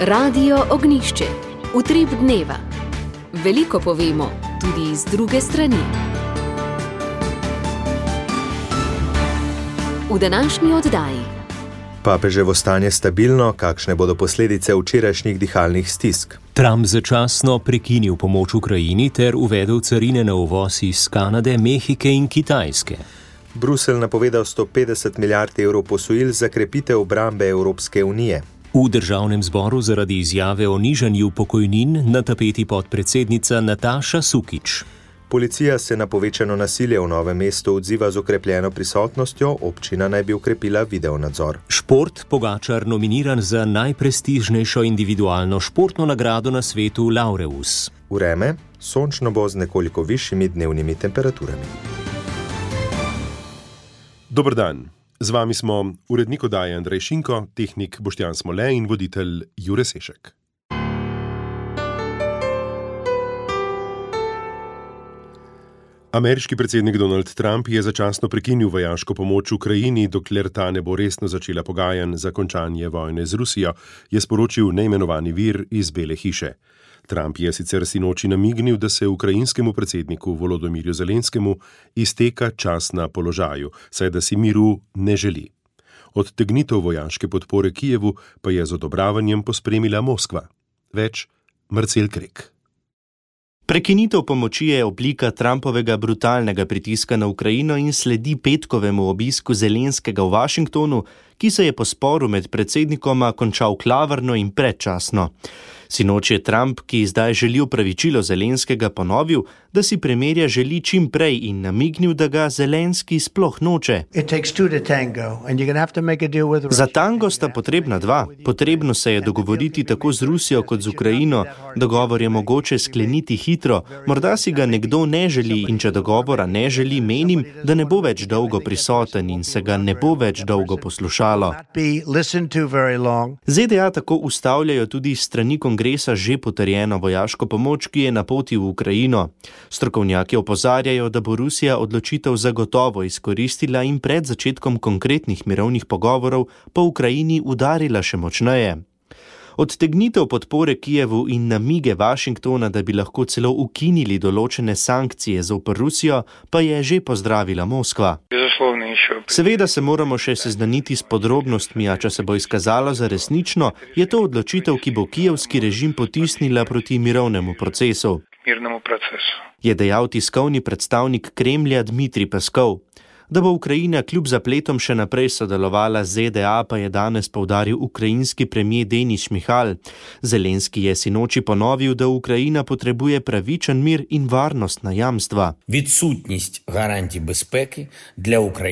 Radio Ognišče, utrip dneva. Veliko povemo, tudi z druge strani. V današnji oddaji. Papeževo stanje stabilno, kakšne bodo posledice včerajšnjih dihalnih stisk? Trump začasno prekinil pomoč Ukrajini ter uvedel carine na uvoz iz Kanade, Mehike in Kitajske. Bruselj napovedal 150 milijard evrov posojil za krepitev obrambe Evropske unije. V državnem zboru zaradi izjave o nižanju pokojnin na tapeti podpredsednica Nataša Sukič. Policija se na povečano nasilje v Novem mestu odziva z okrepljeno prisotnostjo, občina naj bi ukrepila videonadzor. Šport, Pogačar nominiran za najprestižnejšo individualno športno nagrado na svetu Laureus. Vreme, sončno bo z nekoliko višjimi dnevnimi temperaturami. Dober dan, z vami smo urednik oddaje Andrej Šinko, tehnik Boštjan Smole in voditelj Jure Sešek. Ameriški predsednik Donald Trump je začasno prekinil vojaško pomoč Ukrajini, dokler ta ne bo resno začela pogajanj za končanje vojne z Rusijo, je sporočil neimenovani vir iz Bele hiše. Trump je sicer sinoči namignil, da se ukrajinskemu predsedniku Volodomirju Zelenskemu izteka čas na položaju, saj da si miru ne želi. Odtegnitev vojaške podpore Kijevu pa je z odobravanjem pospremila Moskva. Več Marcel Krek. Prekinitev pomoči je oblika Trumpovega brutalnega pritiska na Ukrajino in sledi petkovemu obisku Zelenskega v Washingtonu, ki se je po sporu med predsednikoma končal klavrno in predčasno. Sinoči je Trump, ki zdaj želi opravičilo Zelenskega, ponovil, da si premirja želi čim prej in namignil, da ga Zelenski sploh noče. Za tango sta potrebna dva. Potrebno se je dogovoriti tako z Rusijo kot z Ukrajino. Dogovor je mogoče skleniti hitro. Morda si ga nekdo ne želi in če dogovora ne želi, menim, da ne bo več dolgo prisoten in se ga ne bo več dolgo poslušalo. ZDA tako ustavljajo tudi strani kongresa že potrjeno vojaško pomoč, ki je na poti v Ukrajino. Strokovnjaki opozarjajo, da bo Rusija odločitev zagotovo izkoristila in pred začetkom konkretnih mirovnih pogovorov po Ukrajini udarila še močneje. Odtegnitev podpore Kijevu in namige Washingtona, da bi lahko celo ukinili določene sankcije zoper Rusijo, pa je že pozdravila Moskva. Seveda se moramo še seznaniti s podrobnostmi, a če se bo izkazalo za resnično, je to odločitev, ki bo kijevski režim potisnila proti mirovnemu procesu, je dejal tiskovni predstavnik Kremlja Dmitrij Peskov. Da bo Ukrajina kljub zapletom še naprej sodelovala z ZDA, pa je danes poudaril ukrajinski premier Denis Šmihal. Zelenski je sinoči ponovil, da Ukrajina potrebuje pravičen mir in varnostna jamstva.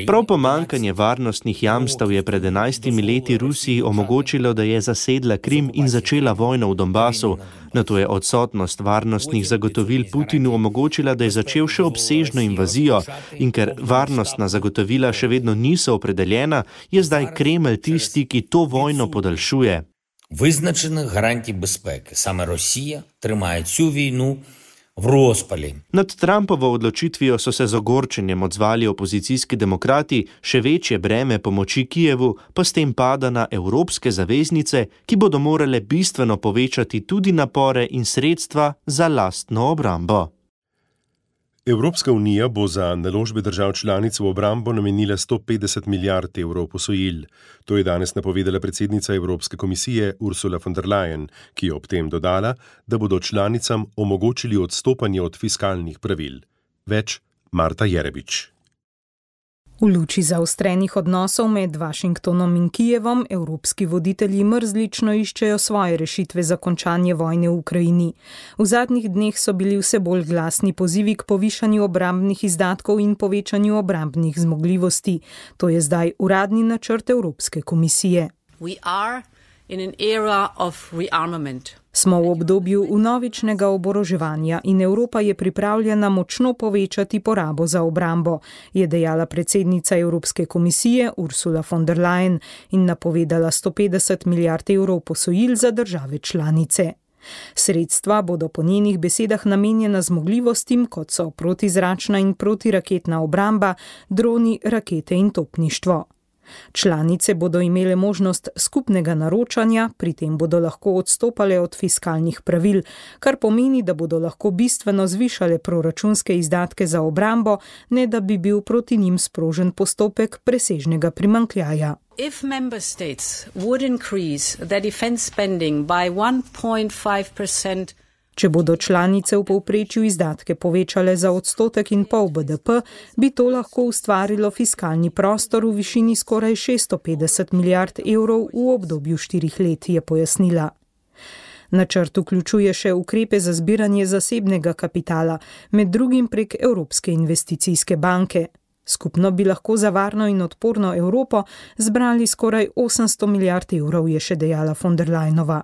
Prav pomanjkanje varnostnih jamstev je pred 11 leti Rusiji omogočilo, da je zasedla Krim in začela vojno v Donbasu. Nato je odsotnost varnostnih zagotovil Putinu omogočila, da je začel še obsežno invazijo in ker varnostna zagotovila še vedno niso opredeljena, je zdaj Kremelj tisti, ki to vojno podaljšuje. Визначених гарантій безпеки. Саме Росія тримає цю війну v rozpali. Nad Trumpovo odločitvijo so se z ogorčenjem odzvali opozicijski demokrati, še večje breme pomoči Kijevu pa s tem pada na evropske zaveznice, ki bodo morale bistveno povečati tudi napore in sredstva za lastno obrambo. Evropska unija bo za naložbe držav članic v obrambo namenila 150 milijard evrov posojil. To je danes napovedala predsednica Evropske komisije Ursula von der Leyen, ki je ob tem dodala, da bodo članicam omogočili odstopanje od fiskalnih pravil. Več Marta Jerebič. V luči zaostrenih odnosov med Washingtonom in Kijevom evropski voditelji mrzlično iščejo svoje rešitve za končanje vojne v Ukrajini. V zadnjih dneh so bili vse bolj glasni pozivi k povišanju obrambnih izdatkov in povečanju obrambnih zmogljivosti. To je zdaj uradni načrt Evropske komisije. Smo v obdobju vnovičnega oboroževanja in Evropa je pripravljena močno povečati porabo za obrambo, je dejala predsednica Evropske komisije Ursula von der Leyen in napovedala 150 milijard evrov posojil za države članice. Sredstva bodo po njenih besedah namenjena zmogljivostim, kot so protizračna in protiraketna obramba, droni, rakete in topništvo. Članice bodo imele možnost skupnega naročanja, pri tem bodo lahko odstopale od fiskalnih pravil, kar pomeni, da bodo lahko bistveno zvišale proračunske izdatke za obrambo, ne da bi bil proti njim sprožen postopek presežnega primanjkljaja. If member states would increase their defense spending by 1.5%, če bodo članice v povprečju izdatke povečale za 1,5% BDP, bi to lahko ustvarilo fiskalni prostor v višini skoraj 650 milijard evrov v obdobju 4 let, je pojasnila. Načrt vključuje še ukrepe za zbiranje zasebnega kapitala, med drugim prek Evropske investicijske banke. Skupno bi lahko za varno in odporno Evropo zbrali skoraj 800 milijard evrov, je še dejala von der Leyenova.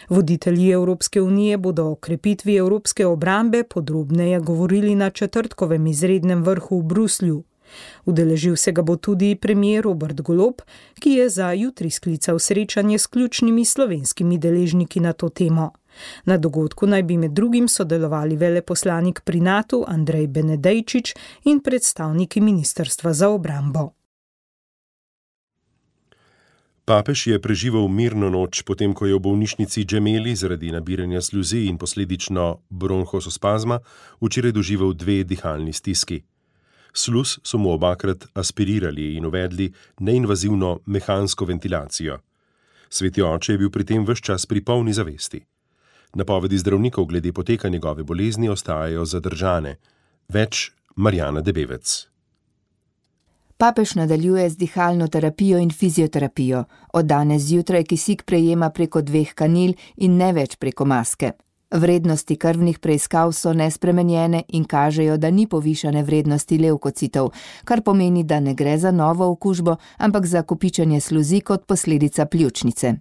Voditelji Evropske unije bodo o krepitvi evropske obrambe podrobneje govorili na četrtkovem izrednem vrhu v Bruslju. Udeležil se ga bo tudi premier Robert Golob, ki je za jutri sklical srečanje s ključnimi slovenskimi deležniki na to temo. Na dogodku naj bi med drugim sodelovali veleposlanik pri NATO Andrej Benedejčič in predstavniki Ministrstva za obrambo. Papež je preživel mirno noč, potem ko je v bolnišnici Gemelli zaradi nabiranja sluzi in posledično bronhospazma včeraj doživel 2 dihalni stiski. Sluz so mu obakrat aspirirali in uvedli neinvazivno mehansko ventilacijo. Sveti oče je bil pri tem ves čas pri polni zavesti. Napovedi zdravnikov glede poteka njegove bolezni ostajajo zadržane. Več Marjana Debevec. Papež nadaljuje z dihalno terapijo in fizioterapijo. Od danes zjutraj kisik prejema preko 2 kanil in ne več preko maske. Vrednosti krvnih preiskav so nespremenjene in kažejo, da ni povišane vrednosti levkocitov, kar pomeni, da ne gre za novo okužbo, ampak za kopičenje sluzi kot posledica pljučnice.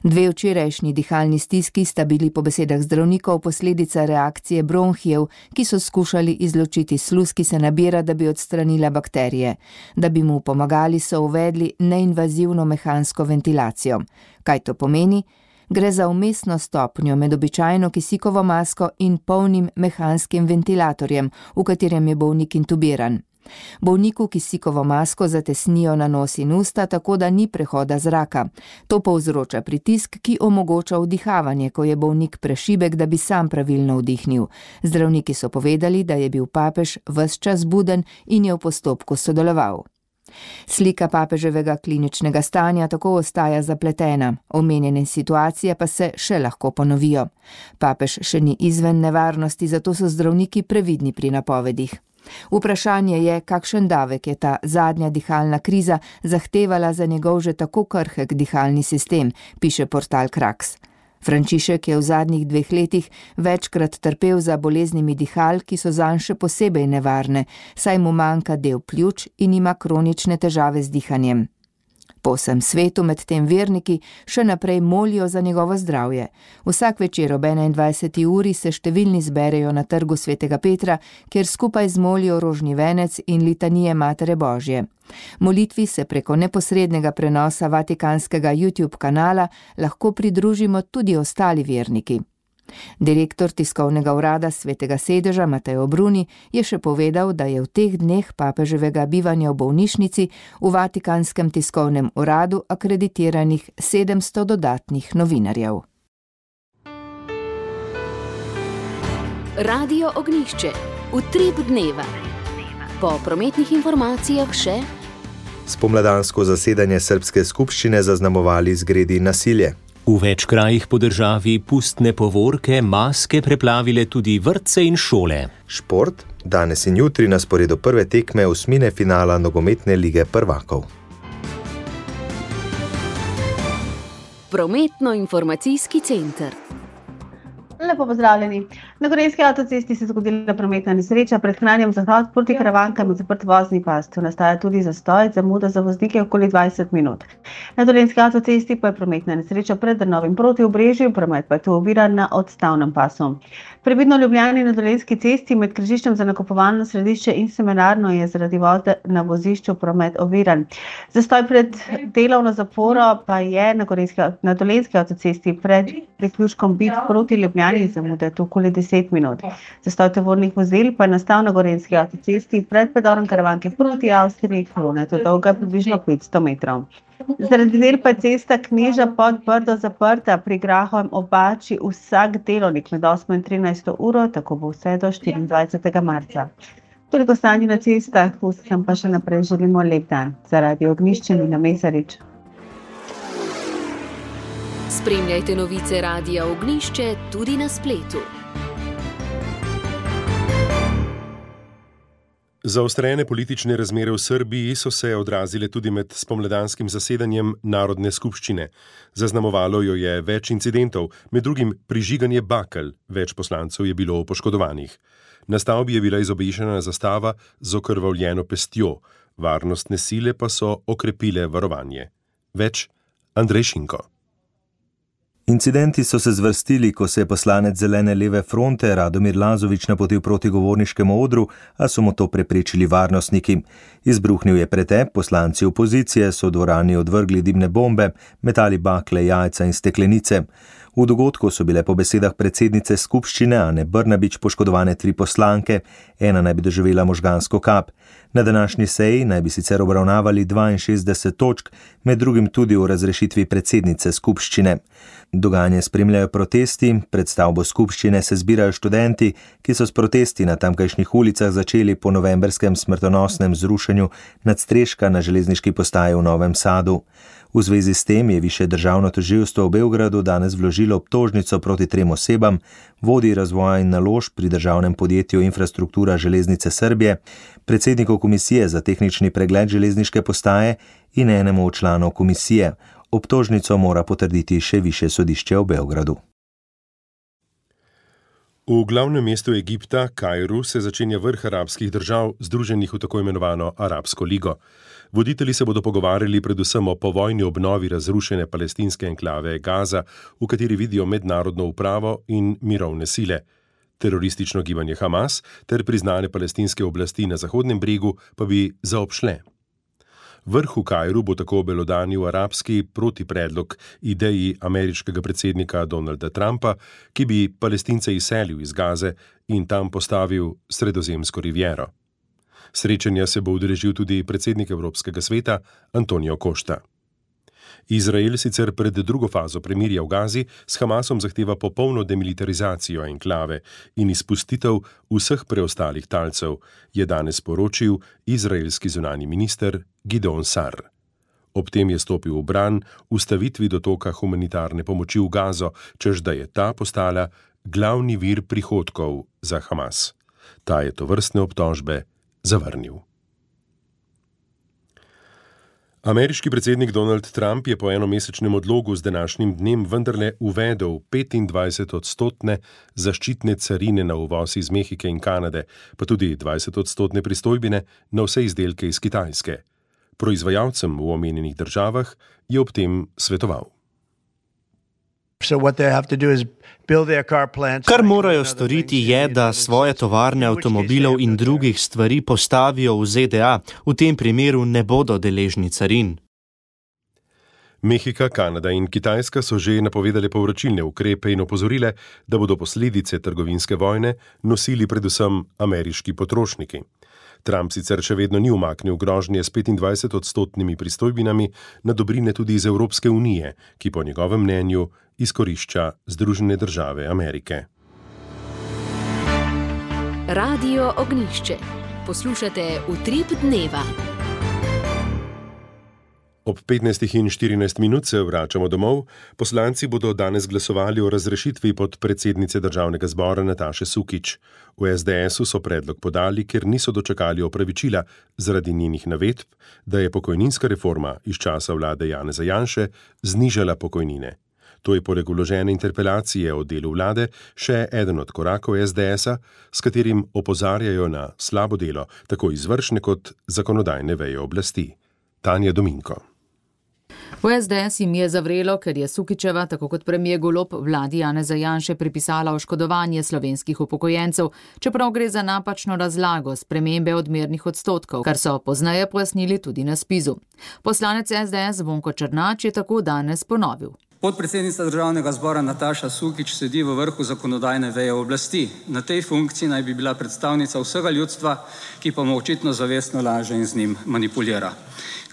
2 včerajšnji dihalni stiski sta bili po besedah zdravnikov posledica reakcije bronhijev, ki so skušali izločiti sluz, ki se nabira, da bi odstranila bakterije. Da bi mu pomagali, so uvedli neinvazivno mehansko ventilacijo. Kaj to pomeni? Gre za vmesno stopnjo med običajno kisikovo masko in polnim mehanskim ventilatorjem, v katerem je bolnik intubiran. Bolniku kisikovo masko zatesnijo na nos in usta, tako da ni prehoda zraka. To povzroča pritisk, ki omogoča vdihavanje, ko je bolnik prešibek, da bi sam pravilno vdihnil. Zdravniki so povedali, da je bil papež ves čas buden in je v postopku sodeloval. Slika papeževega kliničnega stanja tako ostaja zapletena, omenjene situacije pa se še lahko ponovijo. Papež še ni izven nevarnosti, zato so zdravniki previdni pri napovedih. Vprašanje je, kakšen davek je ta zadnja dihalna kriza zahtevala za njegov že tako krhek dihalni sistem, piše portal Krax. Frančišek je v zadnjih 2 letih večkrat trpel za boleznimi dihal, ki so zanj še posebej nevarne, saj mu manjka del pljuč in ima kronične težave z dihanjem. Po vsem svetu medtem verniki še naprej molijo za njegovo zdravje. Vsak večer ob 21. uri se številni zberejo na trgu Svetega Petra, kjer skupaj zmolijo rožni venec in litanije Matere Božje. Molitvi se preko neposrednega prenosa vatikanskega YouTube kanala lahko pridružimo tudi ostali verniki. Direktor tiskovnega urada Svetega sedeža Mateo Bruni je še povedal, da je v teh dneh papeževega bivanja v bolnišnici v Vatikanskem tiskovnem uradu akreditiranih 700 dodatnih novinarjev. Radio Ognjišče. Utrip dneva. Po prometnih informacijah še spomladansko zasedanje srbske skupščine zaznamovali zgredi nasilje. V več krajih po državi pustne povorke, maske preplavile tudi vrtce in šole. Šport, danes in jutri na sporedu prve tekme osmine finala nogometne lige prvakov. Prometno-informacijski center. Lepo pozdravljeni. Na Gorenjski avtocesti se je zgodila prometna nesreča pred Kranjem zahod proti Karavankam in zaprt vozni pas. Tu nastaja tudi zastoj, zamuda za voznike okoli 20 minut. Na Dolenjski avtocesti pa je prometna nesreča pred Drnovim proti Obrežju, promet pa je tu oviran na odstavnem pasu. Previdno Ljubljani na Dolenjski cesti med križiščem za nakupovalno središče in seminarno je zaradi vode na vozišču promet oviran. Zastoj pred delovno zaporo pa je na Dolenjski avtocesti pred priključkom Bit proti Ljubljani zamude okoli 10 minut. Zastoj tovornih vozil pa je nastal na Gorenjski avtocesti pred predorom Karavanke proti Avstriji, kilometrov dolga približno 500 metrov. Zaradi del pa je cesta Kneža pod Brdo zaprta pri Grahovem Obači vsak delovnik med 8 in 13 uro, tako bo vse do 24. marca. Toliko stanje na cestah, vsem pa še naprej želimo lep dan. Za Radio Ognjišče Mina Mesarič. Spremljajte novice Radia Ognjišče tudi na spletu. Zaostrene politične razmere v Srbiji so se odrazile tudi med spomladanskim zasedanjem Narodne skupščine. Zaznamovalo jo je več incidentov, med drugim prižiganje bakel, več poslancev je bilo poškodovanih. Na stavbi je bila izobešena zastava z okrvavljeno pestjo, varnostne sile pa so okrepile varovanje. Več Andrej Šinko. Incidenti so se zvrstili, ko se je poslanec Zelene leve fronte Radomir Lazović napotil proti govorniškemu odru, a so mu to preprečili varnostniki. Izbruhnil je pretep, poslanci opozicije so v dvorani odvrgli dimne bombe, metali bakle, jajca in steklenice. V dogodku so bile po besedah predsednice skupščine Ane Brnabić poškodovane 3 poslanke, ena naj bi doživela možgansko kap. Na današnji seji naj bi sicer obravnavali 62 točk, med drugim tudi o razrešitvi predsednice skupščine. Dogajanje spremljajo protesti, pred stavbo skupščine se zbirajo študenti, ki so s protesti na tamkajšnjih ulicah začeli po novembrskem smrtonosnem zrušenju nadstreška na železniški postaji v Novem Sadu. V zvezi s tem je Višje državno tožilstvo v Beogradu danes vložilo obtožnico proti 3 osebam, vodji razvoja in naložb pri državnem podjetju Infrastruktura železnice Srbije, predsedniku komisije za tehnični pregled železniške postaje in enemu od članov komisije. Obtožnico mora potrditi še Višje sodišče v Beogradu. V glavnem mestu Egipta, Kairu, se začenja vrh arabskih držav, združenih v tako imenovano Arabsko ligo. Voditelji se bodo pogovarjali predvsem o povojni obnovi razrušene palestinske enklave Gaza, v kateri vidijo mednarodno upravo in mirovne sile. Teroristično gibanje Hamas ter priznane palestinske oblasti na Zahodnem bregu pa bi zaobšle. Vrh v Kairu bo tako obelodanil arabski protipredlog ideji ameriškega predsednika Donalda Trumpa, ki bi Palestince izselil iz Gaze in tam postavil Sredozemsko riviero. Srečanja se bo udeležil tudi predsednik Evropskega sveta Antonio Costa. Izrael sicer pred drugo fazo premirja v Gazi s Hamasom zahteva popolno demilitarizacijo enklave in izpustitev vseh preostalih talcev, je danes poročil izraelski zunanji minister Gideon Sar. Ob tem je stopil v bran ustavitvi dotoka humanitarne pomoči v Gazo, čež da je ta postala glavni vir prihodkov za Hamas. Ta je tovrstne obtožbe zavrnil. Ameriški predsednik Donald Trump je po enomesečnem odlogu z današnjim dnem vendarle uvedel 25% zaščitne carine na uvoz iz Mehike in Kanade, pa tudi 20% pristojbine na vse izdelke iz Kitajske. Proizvajalcem v omenjenih državah je ob tem svetoval. Kar morajo storiti je, da svoje tovarne avtomobilov in drugih stvari postavijo v ZDA, v tem primeru ne bodo deležni carin. Mehika, Kanada in Kitajska so že napovedale povračilne ukrepe in opozorile, da bodo posledice trgovinske vojne nosili predvsem ameriški potrošniki. Trump sicer še vedno ni umaknil grožnje s 25% pristojbinami na dobrine tudi iz Evropske unije, ki po njegovem mnenju izkorišča Združene države Amerike. Radio Ognjišče. Poslušate Utrip dneva. Ob 15:14 se vračamo domov. Poslanci bodo danes glasovali o razrešitvi podpredsednice Državnega zbora Nataše Sukič. V SDS-u so predlog podali, ker niso dočakali opravičila zaradi njenih navedb, da je pokojninska reforma iz časa vlade Janeza Janše znižala pokojnine. To je poleg vložene interpelacije o delu vlade še eden od korakov SDS-a, s katerim opozarjajo na slabo delo tako izvršne kot zakonodajne veje oblasti. Tanja Dominko. V SDS jim je zavrelo, ker je Sukičeva, tako kot premier Golob, vladi Janeza Janše pripisala oškodovanje slovenskih upokojencev, čeprav gre za napačno razlago spremembe odmernih odstotkov, kar so pozneje pojasnili tudi na spizu. Poslanec SDS Zvonko Černač je tako danes ponovil. Podpredsednica Državnega zbora Nataša Sukič sedi v vrhu zakonodajne veje oblasti. Na tej funkciji naj bi bila predstavnica vsega ljudstva, ki pa mu očitno zavestno laže in z njim manipulira.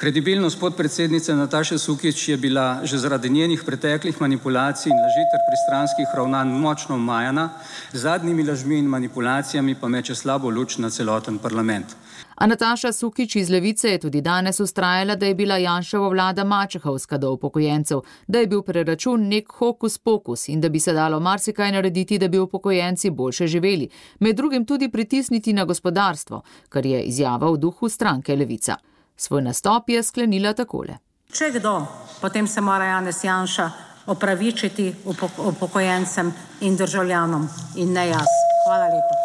Kredibilnost podpredsednice Nataše Sukič je bila že zaradi njenih preteklih manipulacij in laži ter pristranskih ravnanj močno omajana, z zadnjimi lažmi in manipulacijami pa meče slabo luč na celoten parlament. A Nataša Sukič iz Levice je tudi danes vztrajala, da je bila Janševa vlada mačehovska do upokojencev, da je bil preračun nek hokus pokus in da bi se dalo marsikaj narediti, da bi upokojenci boljše živeli, med drugim tudi pritisniti na gospodarstvo, kar je izjava v duhu stranke Levica. Svoj nastop je sklenila takole. Če kdo, potem se mora Janez Janša opravičiti upokojencem in državljanom in ne jaz. Hvala lepa.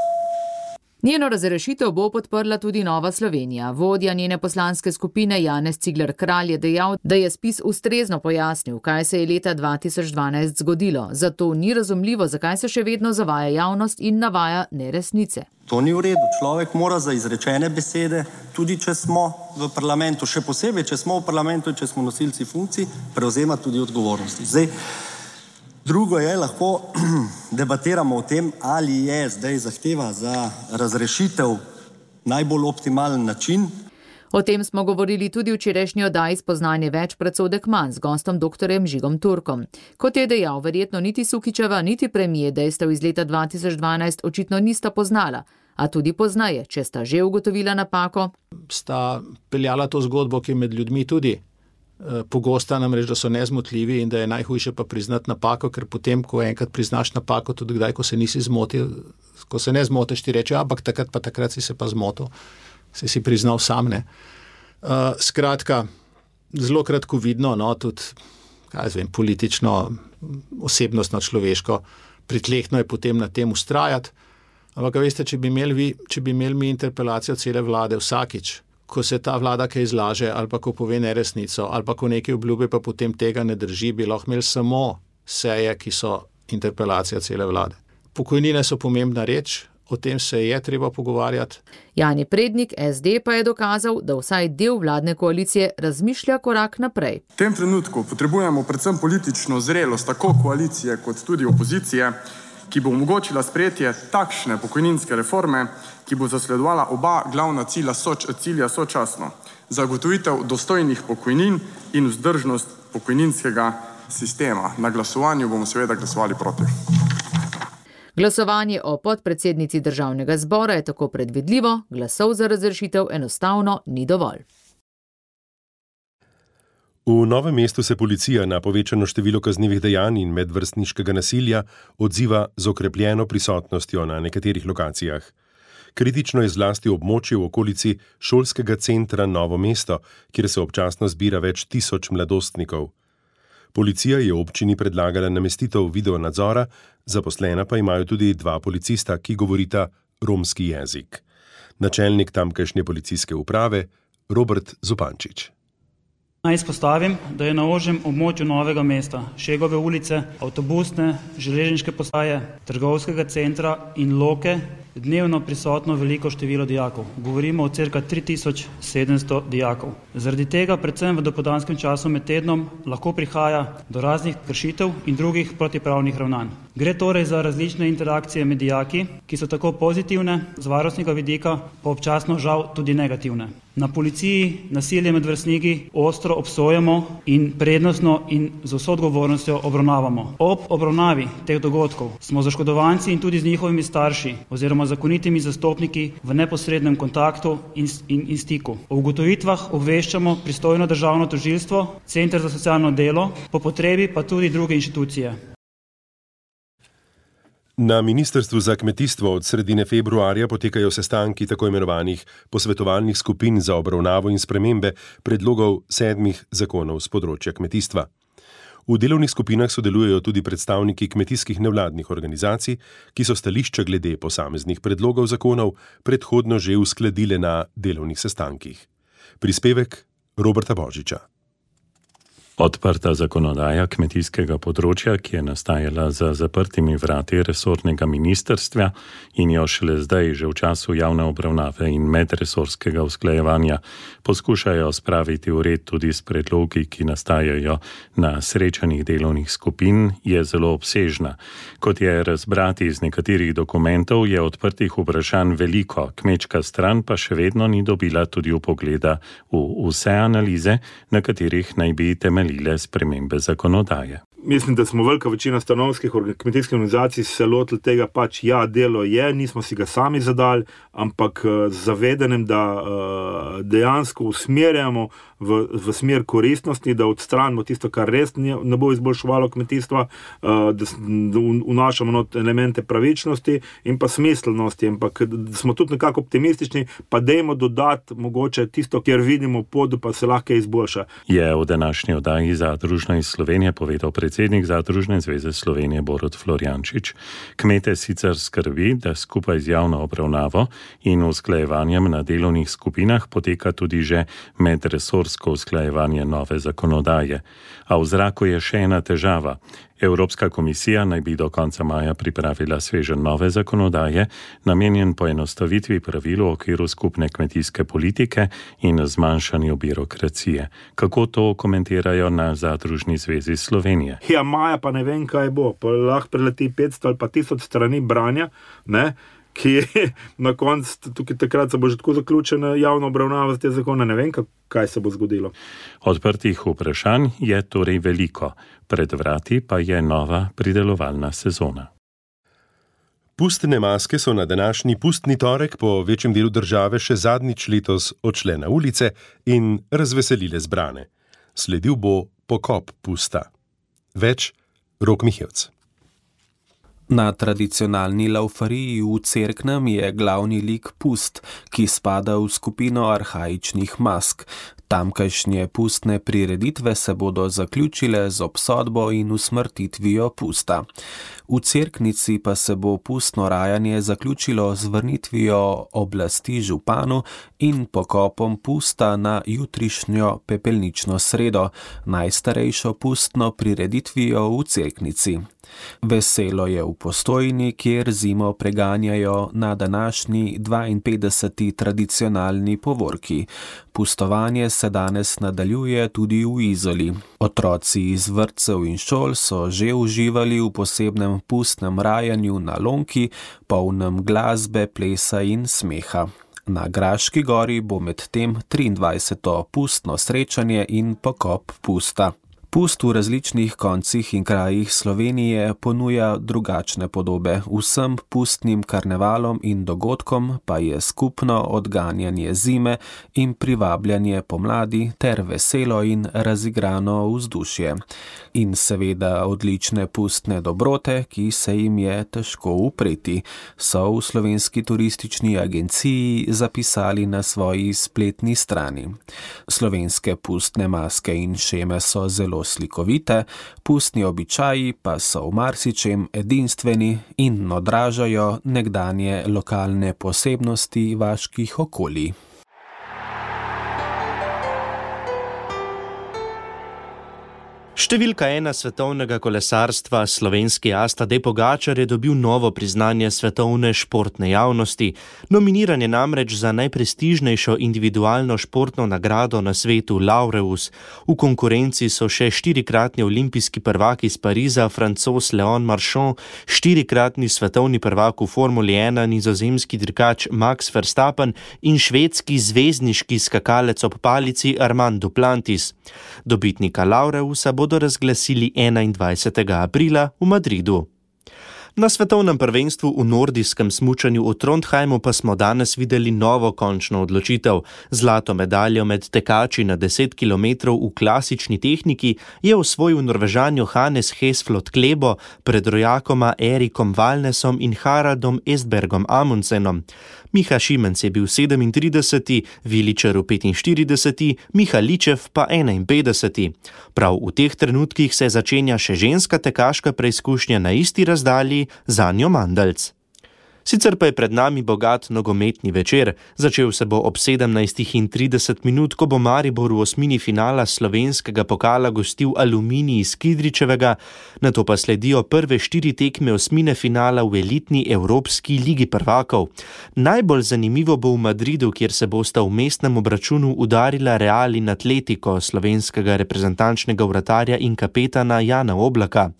Njeno razrešitev bo podprla tudi Nova Slovenija. Vodja njene poslanske skupine Janez Cigler Kralj je dejal, da je spis ustrezno pojasnil, kaj se je leta 2012 zgodilo. Zato ni razumljivo, zakaj se še vedno zavaja javnost in navaja neresnice. To ni v redu. Človek mora za izrečene besede, tudi če smo v parlamentu, še posebej, če smo v parlamentu, če smo nosilci funkcij, prevzemati tudi odgovornosti. Zdaj, drugo je, lahko debatiramo o tem, ali je zdaj zahteva za razrešitev najbolj optimalen način. O tem smo govorili tudi v včerajšnji oddaji Spoznanje več predsodek manj z gostom dr. Žigom Turkom. Kot je dejal, verjetno niti Sukičeva, niti premier dejstev iz leta 2012 očitno nista poznala, a tudi poznaje, če sta že ugotovila napako. Sta peljala to zgodbo, ki je med ljudmi tudi pogosta, namreč, da so nezmotljivi in da je najhujše pa priznati napako, ker potem, ko enkrat priznaš napako, tudi kdaj, ko se nisi zmotil, ko se ne zmotiš, ti reče, ampak takrat si se pa zmotil, si priznal sam, ne. Skratka, zelo kratkovidno, no, tudi, politično, osebnostno, človeško, pritlehno je potem na tem ustrajati, ampak veste, če bi imeli mi interpelacijo cele vlade vsakič, ko se ta vlada kaj izlaže, ali pa ko pove neresnico, ali pa ko nekaj obljube, pa potem tega ne drži, bi lahko imeli samo seje, ki so interpelacija cele vlade. Pokojnine so pomembna reč, o tem se je treba pogovarjati. Jani Prednik, SD, pa je dokazal, da vsaj del vladne koalicije razmišlja korak naprej. V tem trenutku potrebujemo predvsem politično zrelost tako koalicije kot tudi opozicije, ki bo omogočila sprejetje takšne pokojninske reforme, ki bo zasledovala oba glavna cilja sočasno. Zagotovitev dostojnih pokojnin in vzdržnost pokojninskega sistema. Na glasovanju bomo seveda glasovali proti. Glasovanje o podpredsednici Državnega zbora je tako predvidljivo, glasov za razrešitev enostavno ni dovolj. V Novem mestu se policija na povečano število kaznivih dejanj in medvrstniškega nasilja odziva z okrepljeno prisotnostjo na nekaterih lokacijah. Kritično je zlasti območje v okolici šolskega centra Novo mesto, kjer se občasno zbira več tisoč mladostnikov. Policija je občini predlagala namestitev videonadzora, zaposlena pa imajo tudi 2 policista, ki govorita romski jezik. Načelnik tamkajšnje policijske uprave Robert Zupančič. Naj izpostavim, da je na ožjem območju Novega mesta, Šegove ulice, avtobusne, železniške postaje, trgovskega centra in Loke dnevno prisotno veliko število dijakov. Govorimo o cirka 3700 dijakov. Zaradi tega predvsem v dopoldanskem času med tednom lahko prihaja do raznih kršitev in drugih protipravnih ravnanj. Gre torej za različne interakcije med dijaki, ki so tako pozitivne z varnostnega vidika, pa občasno žal tudi negativne. Na policiji nasilje med vrstniki ostro obsojamo in prednostno in z vso odgovornostjo obravnavamo. Ob obravnavi teh dogodkov smo z oškodovanci in tudi z njihovimi starši oziroma zakonitimi zastopniki v neposrednem kontaktu in stiku. O ugotovitvah obveščamo pristojno državno tožilstvo, Center za socialno delo, po potrebi pa tudi druge inštitucije. Na Ministrstvu za kmetijstvo od sredine februarja potekajo sestanki tako imenovanih posvetovalnih skupin za obravnavo in spremembe predlogov 7 zakonov z področja kmetijstva. V delovnih skupinah sodelujejo tudi predstavniki kmetijskih nevladnih organizacij, ki so stališča glede posameznih predlogov zakonov predhodno že uskladile na delovnih sestankih. Prispevek Roberta Božiča. Odprta zakonodaja kmetijskega področja, ki je nastajala za zaprtimi vrati resornega ministrstva in jo šele zdaj, že v času javne obravnave in medresorskega usklajevanja, poskušajo spraviti v red tudi s predlogi, ki nastajajo na srečanjih delovnih skupin, je zelo obsežna. Kot je razbrati iz nekaterih dokumentov, je odprtih vprašanj veliko, kmečka stran pa še vedno ni dobila tudi vpogleda v vse analize, na katerih naj bi temeljile spremembe zakonodaje. Mislim, da smo velika večina stanovskih kmetijskih organizacij se lotili tega delo je, nismo si ga sami zadali, ampak z zavedanjem, da dejansko usmerjamo v smer koristnosti, da odstranimo tisto, kar res ne bo izboljševalo kmetijstva, da vnašamo not elemente pravičnosti in pa smiselnosti, ampak smo tudi nekako optimistični, pa dajmo dodati mogoče tisto, kjer vidimo pot, pa se lahko izboljša. Je v današnji oddaji Zadružna iz Slovenije povedal predsednik Zadružne zveze Slovenije Borut Florjančič. Kmete sicer skrbi, da skupaj z javno obravnavo in usklajevanjem na delovnih skupinah poteka tudi že medresorsko usklajevanje nove zakonodaje. A v zraku je še ena težava. Evropska komisija naj bi do konca maja pripravila sveženj nove zakonodaje, namenjen poenostavitvi pravil v okviru skupne kmetijske politike in zmanjšanju birokracije. Kako to komentirajo na Zadružni zvezi Slovenije? Ja, maja pa ne vem, kaj bo. Pa lahko preleti 500 ali pa 1000 strani branja, ne? Ki je na koncu, tukaj takrat se bo že tako zaključena javna obravnava z te zakona, ne vem, kaj se bo zgodilo. Odprtih vprašanj je torej veliko, pred vrati pa je nova pridelovalna sezona. Pustne maske so na današnji pustni torek po večjem delu države še zadnjič letos odšle na ulice in razveselile zbrane. Sledil bo pokop pusta. Več Rok Mihevc. Na tradicionalni laufariji v Cerknem je glavni lik pust, ki spada v skupino arhaičnih mask. Tamkajšnje pustne prireditve se bodo zaključile z obsodbo in usmrtitvijo pusta. V Cerknici pa se bo pustno rajanje zaključilo z vrnitvijo oblasti županu in pokopom pusta na jutrišnjo pepelnično sredo, najstarejšo pustno prireditvijo v Cerknici. Veselo je v Postojni, kjer zimo preganjajo na današnji 52. tradicionalni povorki. Pustovanje se danes nadaljuje tudi v Izoli. Otroci iz vrtcev in šol so že uživali v posebnem pustnem rajanju na lonki, polnem glasbe, plesa in smeha. Na Graški gori bo medtem 23. pustno srečanje in pokop pusta. Pust v različnih koncih in krajih Slovenije ponuja drugačne podobe. Vsem pustnim karnevalom in dogodkom pa je skupno odganjanje zime in privabljanje pomladi ter veselo in razigrano vzdušje. In seveda odlične pustne dobrote, ki se jim je težko upreti, so v Slovenski turistični agenciji zapisali na svoji spletni strani. Slovenske pustne maske in šeme so zelo slikovite, pustni običaji pa so v marsičem edinstveni in odražajo nekdanje lokalne posebnosti vaških okolij. Številka 1 svetovnega kolesarstva, slovenski as Tadej Pogačar, je dobil novo priznanje svetovne športne javnosti. Nominiran je namreč za najprestižnejšo individualno športno nagrado na svetu Laureus. V konkurenci so še 4-kratni olimpijski prvak iz Pariza, Francoz Leon Marchand, 4-kratni svetovni prvak v Formuli 1, nizozemski dirkač Max Verstappen in švedski zvezdniški skakalec ob palici Armand Duplantis. Dobitnika Laureusa bodo razglasili 21. aprila v Madridu. Na svetovnem prvenstvu v nordijskem smučanju v Trondheimu pa smo danes videli novo končno odločitev. Zlato medaljo med tekači na 10 km v klasični tehniki je osvojil Norvežan Johannes Hesflot Klebo pred rojakoma Erikom Valnesom in Haraldom Estbergom Amundsenom. Miha Šimenc je bil 37., Viličar 45., Miha Ličev pa 51. Prav v teh trenutkih se začenja še ženska tekaška preizkušnja na isti razdalji, Zanjo Mandalc. Sicer pa je pred nami bogat nogometni večer. Začel se bo ob 17:30, ko bo Maribor v osmini finala slovenskega pokala gostil Aluminij iz Kidričevega, nato pa sledijo prve 4 tekme osmine finala v elitni Evropski ligi prvakov. Najbolj zanimivo bo v Madridu, kjer se bosta v mestnem obračunu udarila Real in Atletico, slovenskega reprezentančnega vratarja in kapetana Jana Oblaka.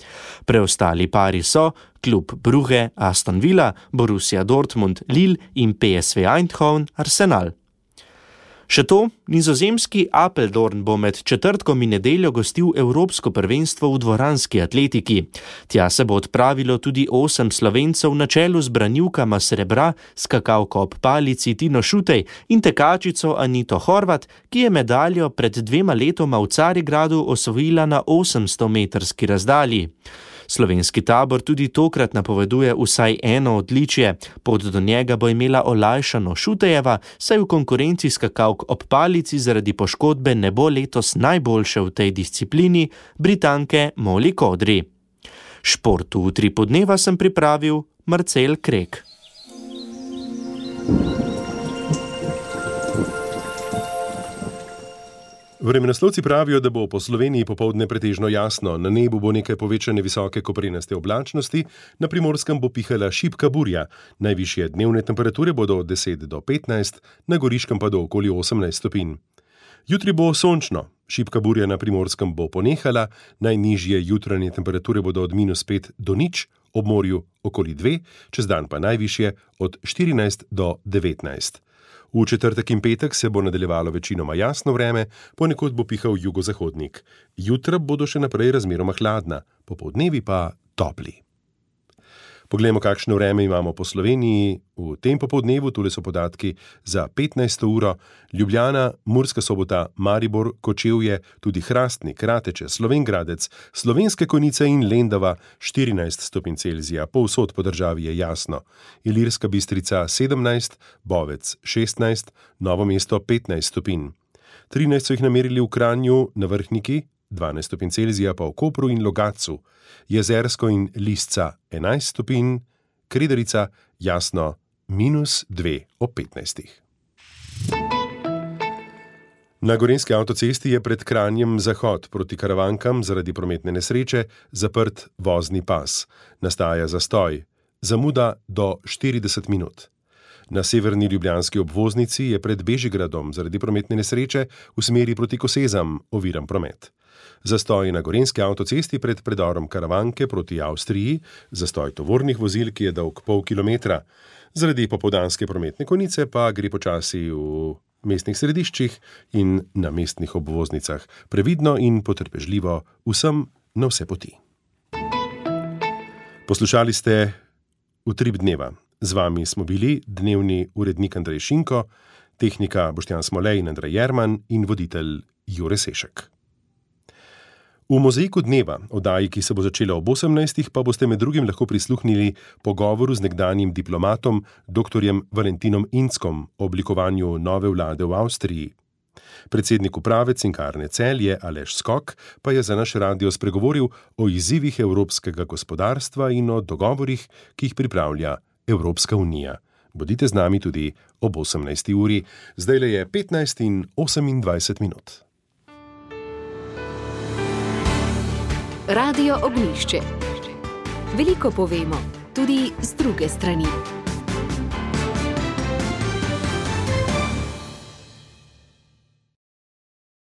Preostali pari so klub Brugge, Aston Villa, Borussia Dortmund, Lille in PSV Eindhoven, Arsenal. Še to, nizozemski Apeldoorn bo med četrtkom in nedeljo gostil Evropsko prvenstvo v dvoranski atletiki. Tja se bo odpravilo tudi 8 Slovencev na čelu z branilkama srebra, skakalko ob palici Tino Šutej in tekačico Anito Horvat, ki je medaljo pred 2 letoma v Carigradu osvojila na 800-metrski razdalji. Slovenski tabor tudi tokrat napoveduje vsaj eno odličje. Pot do njega bo imela olajšano Šutejeva, saj v konkurenci skakalk ob palici zaradi poškodbe ne bo letos najboljše v tej disciplini, Britanke Molly Kodri. Športu v Utrip dneva sem pripravil Marcel Krek. Vremenoslovci pravijo, da bo po Sloveniji popoldne pretežno jasno, na nebu bo nekaj povečane visoke koprenaste oblačnosti, na Primorskem bo pihala šibka burja, najvišje dnevne temperature bodo od 10 do 15, na Goriškem pa do okoli 18 stopinj. Jutri bo sončno, šibka burja na Primorskem bo ponehala, najnižje jutranje temperature bodo od -5 do 0, ob morju okoli 2, čez dan pa najvišje od 14 do 19. V četrtek in petek se bo nadaljevalo večinoma jasno vreme, ponekod bo pihal jugozahodnik. Jutra bodo še naprej razmeroma hladna, popoldnevi pa topli. Poglejmo, kakšno vreme imamo po Sloveniji. V tem popoldnevu, tule so podatki za 15. uro, Ljubljana, Murska Sobota, Maribor, Kočevje, tudi Hrastnik, Rateče, Slovenj Gradec, Slovenske Konjice in Lendava 14 stopinj Celzija, povsod po državi je jasno. Ilirska Bistrica 17, Bovec 16, Novo mesto 15 stopinj. 13 so jih namerili v Kranju, na Vrhniki, 12 stopinj Celzija pa v Kopru in Logatcu, Jezersko in Lisca 11 stopinj, Kredarica jasno -2 ob 15. Na Gorenjski avtocesti je pred Kranjem zahod proti Karavankam zaradi prometne nesreče zaprt vozni pas. Nastaja zastoj, zamuda do 40 minut. Na severni ljubljanski obvoznici je pred Bežigradom zaradi prometne nesreče v smeri proti Kosezam oviran promet. Zastoj na Gorenjski avtocesti pred predorom Karavanke proti Avstriji, zastoj tovornih vozil, ki je dolg pol kilometra. Zaradi popoldanske prometne konice pa gre počasi v mestnih središčih in na mestnih obvoznicah. Previdno in potrpežljivo vsem na vse poti. Poslušali ste Utrip dneva. Z vami smo bili dnevni urednik Andrej Šinko, tehnika Boštjan Smolej in Andrej Jerman in voditelj Jure Sešek. V Mozaiku dneva, oddaji, ki se bo začela ob 18, pa boste med drugim lahko prisluhnili pogovoru z nekdanjim diplomatom dr. Valentinom Inckom o oblikovanju nove vlade v Avstriji. Predsednik uprave Cinkarne Celje Aleš Skok pa je za naš radio spregovoril o izzivih evropskega gospodarstva in o dogovorih, ki jih pripravlja Evropska unija. Bodite z nami tudi ob 18. uri. Zdajle je 15 in 28 minut. Radio Ognjišče. Veliko povemo, tudi z druge strani.